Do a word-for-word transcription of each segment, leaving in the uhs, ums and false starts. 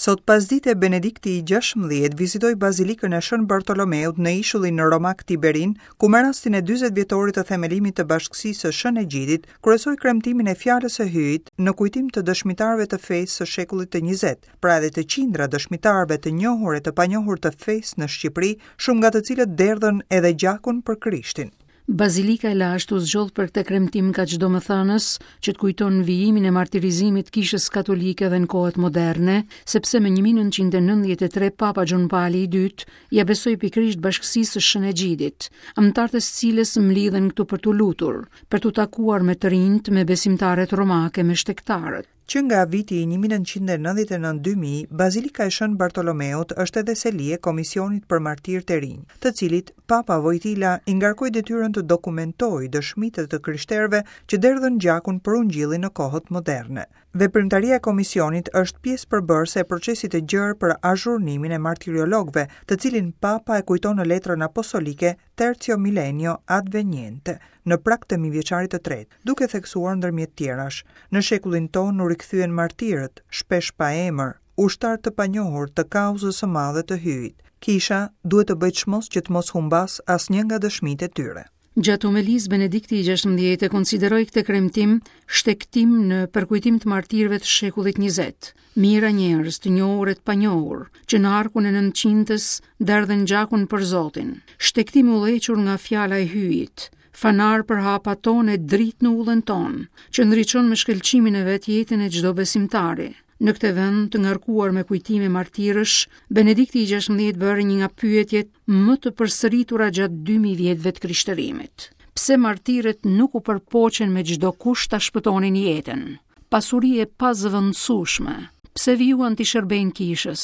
Sot pasdite Benedikti i gjashtëmbëdhjetë vizitoi Bazilikën e Shën Bartolomeut në ishullin romak Tiberin, ku me rastin e dyzet vjetorit të themelimit të Bashkësisë së Shën Egjidit, kryesoi kremtimin e fjalës së Hyjit në kujtim të dëshmitarëve të fesë së shekullit të njëzet, pra edhe të qindra dëshmitarëve të njohur e të panjohur të fesë në Shqipëri, shumë nga të cilët derdhën edhe gjakun për Krishtin. Bazilika e lashtë u zgjodh për këtë kremtim kaq domethënës që të kujton vijimin e martirizimit kishës katolike dhe në kohët moderne, sepse më një mijë e nëntëqind e nëntëdhjetë e tre Papa Gjon Pali i dytë ja besoi pikërisht bashkësisë së Shën Egjidit, anëtarët e së cilës mblidhen këtu për t'u lutur, për t'u takuar me të rinjt, me besimtarët romake, me shtegtarët. Që nga viti një mijë e nëntëqind e nëntëdhjetë e nëntë dy mijë, Bazilika e Shën Bartolomeut është edhe seli e Komisionit për Martirë të Rinj, të cilit Papa Wojtyla i ngarkoi detyrën të dokumentojë dëshmitë të krishterëve që derdhën gjakun për ungjillin në kohët moderne. Veprimtaria e komisionit është pjesë përbërëse e procesit të gjerë për azhurnimin e martiriologëve, të cilin Papa e kujton në letrën apostolike Tertio Millennio Adveniente, në prag të mijëvjeçarit të tretë, duke theksuar ndërmjet tjerash, në shekullin tonë u rikthyen martirët, shpesh pa emër, ushtar të panjohur të kauzës së madhe të Hyjit. Kisha duhet të bëjë çmos që të mos humbas asnjë nga dëshmitë e tyre. Gjatë homelisë, Benedikti i gjashtëmbëdhjetë e konsideroi këtë kremtim shtegtim në përkujtim të martirëve të shekullit njëzet, mijëra njerëz të njohur e të panjohur, që në harkun e nëntëqindës derdhen gjakun për Zotin. Shtegtim u udhëhequr nga fjala e Hyjit, fanar për hapat tonë e dritë në udhën tonë, që ndriçon me shkëlqimin e vet jetën e çdo besimtari. Në këtë vend të ngarkuar me kujtime martirësh, Benedikti i gjashtëmbëdhjetë bëri një nga pyetjet më të përsëritura gjatë dy mijë vjetëve të krishterimit. Pse martirët nuk u përpoqën me çdo kusht ta shpëtonin jetën? Pasuri e pazëvendësueshme. Pse vijuan t'i shërbejnë kishës,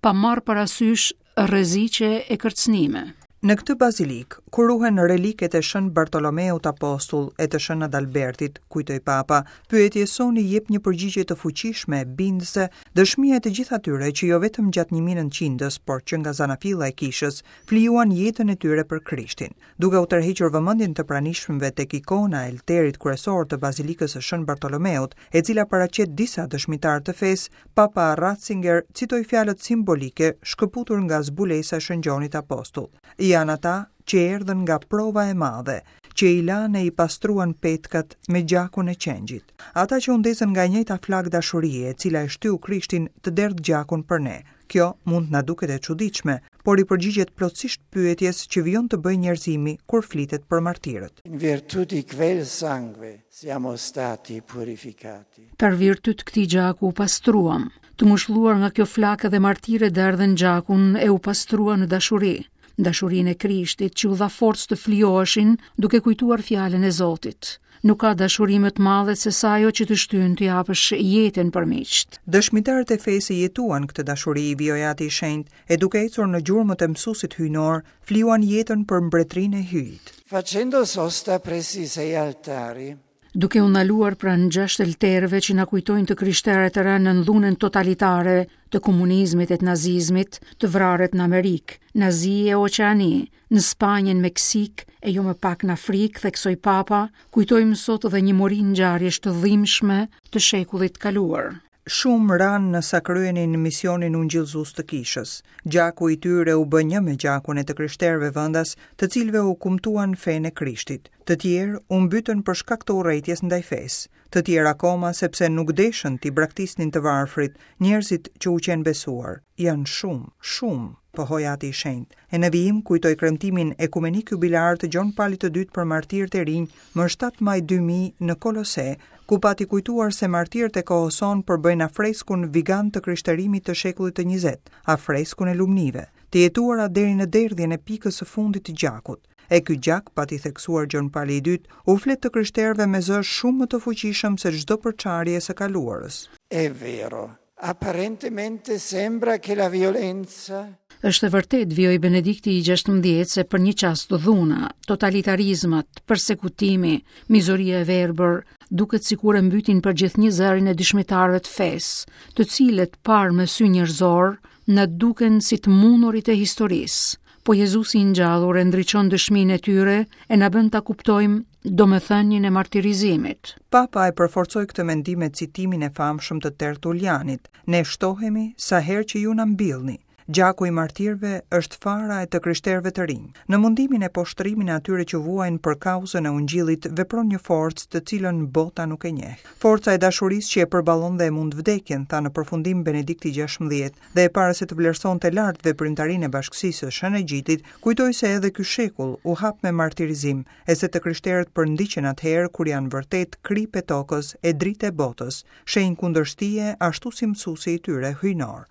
pa marrë parasysh rreziqe e kërcënime? Në këtë bazilik, ku ruhen reliket e Shën Bartolomeut Apostull e të Shën Adalbertit, kujtoi Papa, pyetjes sonë i jep një përgjigje të fuqishme, bindëse, dëshmia e të gjithë atyre që jo vetëm gjatë një mijë e nëntëqindës, por që nga zanafilla e kishës, flijuan jetën e tyre për Krishtin. Duke u tërhequr vëmendjen të pranishmëve tek ikona e altarit kryesor të Bazilikës së Shën Bartolomeut, e cila paraqet disa dëshmitarë të fesë, Papa Ratzinger citoi fjalët simbolike shkëputur nga zbulesa e Shën Gjonit Apostull. Janë ata që erdhën nga prova e madhe, që i lanë e i pastruan petkat me gjakun e qengjit. Ata që u ndezën nga e njëjta flakë dashurie, e cila e shtyu Krishtin të derdh gjakun për ne. Kjo mund na duket e çuditshme, por i përgjigjet plotësisht pyetjes që vijon të bëjë njerëzimi kur flitet për martirët. In virtù di quel sangue siamo stati purificati. Për virtyt këtij gjaku u pastruam, të ngushëlluar nga kjo flakë dhe martirët derdhën gjakun e u pastruan në dashuri. Dashurinë e Krishtit që u dha forcë të flijoheshin duke kujtuar fjalën e Zotit. Nuk ka dashuri më të madhe se sa ajo që të shtyn të japësh jetën për miqt. Dëshmitarët e fesë jetuan këtë dashuri, vijoi Ati i Shenjtë, e duke ecur në gjurmët e mësuesit hyjnor, flijuan jetën për mbretërinë e Hyjit. Facendo sosta presso i sei altari, duke u ndaluar pranë gjashtë altarëve që na kujtojnë të krishterët e rënë në dhunën totalitare të komunizmit e të nazizmit, të vrarët në Amerikë, në Azi e Oqeani, në Spanjë, në Meksikë e jo më pak në Afrikë, theksoi Papa, kujtojmë sot edhe një mori ngjarjesh të dhimbshme të shekullit të kaluar. Shumë ranë në sa kryenin misionin ungjillëzues të kishës. Gjaku i tyre u bë një me gjakun e të krishterëve vendas, të cilëve u kumtuan fenë e Krishtit. Të tjerë u mbytën për shkak të urrejtjes ndaj fesë. Të tjerë akoma sepse nuk deshën t'i braktisnin të varfrit, njerëzit që u qenë besuar. Janë shumë, shumë, pohoi Ati i Shenjtë. E në vijim kujtoi kremtimin ekumenik jubilar të Gjon Palit të dytë për martirët e rinj më shtatë maj dy mijë në Kolose, ku pati kujtuar se martirët e kohës sonë përbëjnë afreskun vigan të krishterimit të shekullit të njëzet, afreskun e lumnive, të jetuara deri në derdhjen e pikës së fundit të gjakut. E ky gjak, pati theksuar Gjon Pali i dytë, u flet të krishterëve me zë shumë më të fuqishëm se çdo përçarje e së kaluarës. È vero, apparentemente sembra che la violenza Është e vërtet, vijoi Benedikti i gjashtëmbëdhjetë, se për një çast dhuna, totalitarizmat, persekutimi, mizoria e verbër, duket sikur e mbytin për gjithnjë zërin e dëshmitarëve të fesë, të cilët parë me sy njerëzor na duken si të mundurit e historisë. Po Jezusi i ngjallur e ndriçon dëshminë e tyre e na bën ta kuptojmë domethënien e martirizimit. Papa e përforcoi këtë mendim me citimin e famshëm të Tertulianit: "Ne shtohemi sa herë që ju na mbillni. Gjaku i martirëve është fara e të krishterëve të rinj. Në mundimin e poshtërimin e atyre që vuajnë për kauzën e Ungjillit vepron një forcë të cilën bota nuk e njeh. Forca e dashurisë që e përballon dhe e mund vdekjen, tha në përfundim Benedikti gjashtëmbëdhjetë, dhe e para se të vlerësonte lart veprimtarinë e bashkësisë së Shën Egjidit, kujtoi se edhe ky shekull u hap me martirizim, e se të krishterët përndiqen atëherë kur janë vërtet kripë e tokës e dritë e botës, shenjë kundërshtie ashtu si mësuesi i tyre hyjnor.